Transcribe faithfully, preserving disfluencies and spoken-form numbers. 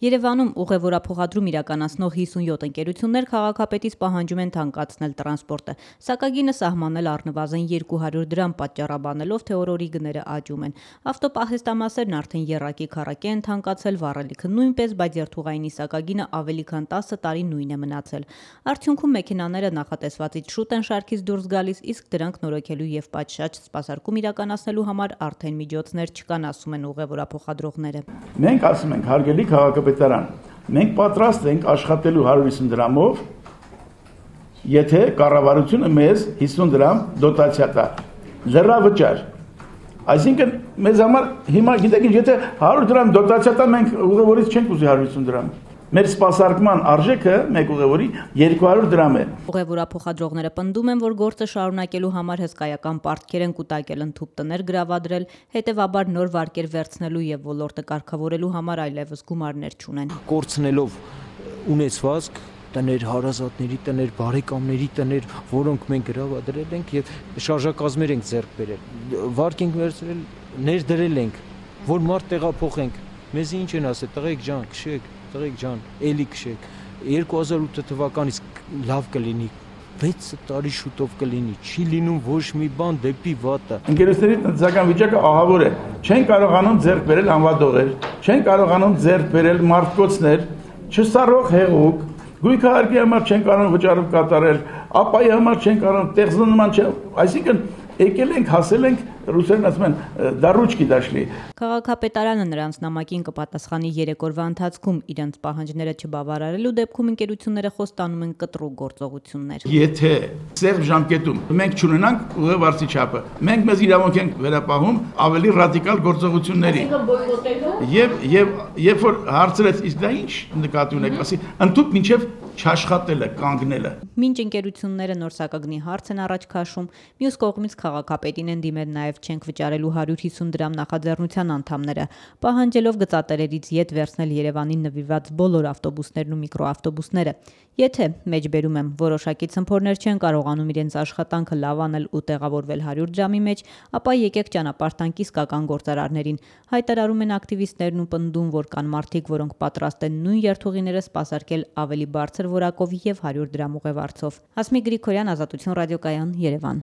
Երևանում ուղևորափոխադրում իրականացնող հիսունյոթ ընկերություններ քաղաքապետից պահանջում են թանկացնել տրանսպորտը։ Սակագինը սահմանել առնվազն երկու հարյուր դրամ պատճառաբանելով, թե օր-օրի գները աճում են։ Ավտոպահեստամասերն արդեն եռակի քառակի են թանկացել, վառելիքը նույնպես, բայց երթուղայինի սակագինը ավելի քան տասը տարի նույն է մնացել։ Արդյունքում մեքենաները նախատեսվածից շուտ են շարքից դուրս գալիս, իսկ դրանք նորոգելու եւ պատշաճ սպասարկում իրականացնելու համար արդեն միջոցներ չկան, ասում են ուղևորափոխադրողները։ Մենք ասում ենք, հարգելի քաղաքապետարան, մենք պատրաստ ենք աշխատելու հարյուր հիսուն դրամով, եթե կառավարությունը մեզ հիսուն դրամ դոտացիա տա, լրավճար։ Այսինքն մեզ համար հիմա գիտեք ինչ, եթե հարյուր դրամ դոտացիա տա, մենք ուղևորից չենք ուզի հարյուր հիսուն դրամ։ Մեր սպասարկման արժեքը մեկ ուղևորի երկու հարյուր դրամ է։ Ուղևորափոխադրողները պնդում են, որ գործը շարունակելու համար հսկայական պարտքեր են կուտակել, ընդհուպ տներ գրավադրել, հետևաբար նոր վարկեր վերցնելու եւ ոլորտը կարգավորելու համար այլևս գումարներ չունեն։ Կորցնելով ունեցվածք, տներ հարազատների, տներ բարեկամների, տներ, որոնք մենք գրավադրել ենք եւ շարժակազմեր ենք ձեռք բերել։ Վարկ ենք վերցրել, ներդրել ենք, որ մարդ տեղափոխենք։ Մեզ ինչ են ասել, տղեկ ջան, քշեք, տղեկ ջան, էլի քշեք։ երկու հազար ութ թվականից լավ կլինի, վեց տարի շուտով կլինի, չի լինում ոչ մի բան դեպի վատը։ Ընկերությունների տնտեսական վիճակը ահավոր է, չեն կարողանում ձեռք բերել անվադողեր, չեն կարողանում ձեռք բերել մարդկոցներ, չսառող հեղուկ, գույքահարկի համար չեն կարող վճարով կատարել, ապայի համար չեն կարող, տեղզնման չեն, այսինքն եկել ենք, հասել ենք, ռուսերեն ասում են, դա ռուչկի դաշլի։ Քաղաքապետարանը նրանց նամակին կպատասխանի երեք օրվա ընթացքում, իրենց պահանջները չբավարարելու դեպքում ընկերությունները խոստանում են կտրուկ գործողություններ։ Եթե սեղմ ժամկետում մենք չունենանք ուղևորցի չափը, մենք մեզ իրավունք ենք վերապահում ավելի ռադիկալ գործողությունների։ Եվ եւ երբ որ հարցրեց, իսկ դա ինչ նկատի ունեք, ասի, ընդհանուր մինչև չաշխատելը, կանգնելը։ Մինչ ընկերությունները նոր սակագնի հարց են առաջ քաշում, մյուս կողմից քաղաքապետին են դիմել նաև չենք վճարելու հարյուր հիսուն դրամ նախաձեռնության անդամները, պահանջելով գծատերերից ետ վերցնել Երևանին նվիրված բոլոր ավտոբուսներն ու միկրոավտոբուսները։ Եթե, մեջբերում եմ, որոշակի ցմփորներ չեն կարողանում իրենց աշխատանքը լավ անել ու տեղավորվել հարյուր դրամի մեջ, ապա եկեք ճանապարհ տանք իսկական գործարարներին, հայտարարում են ակտիվիստներն ու պնդում, որ կան մարդիկ, որոնք պատրաստ են նույն երթուղիները սպասարկել ավելի բարձր որակով եւ հարյուր դրամ ուղևորцов։ Հասմիկ Գրիգորյան, Ազատություն ռադիոկայան, Երևան։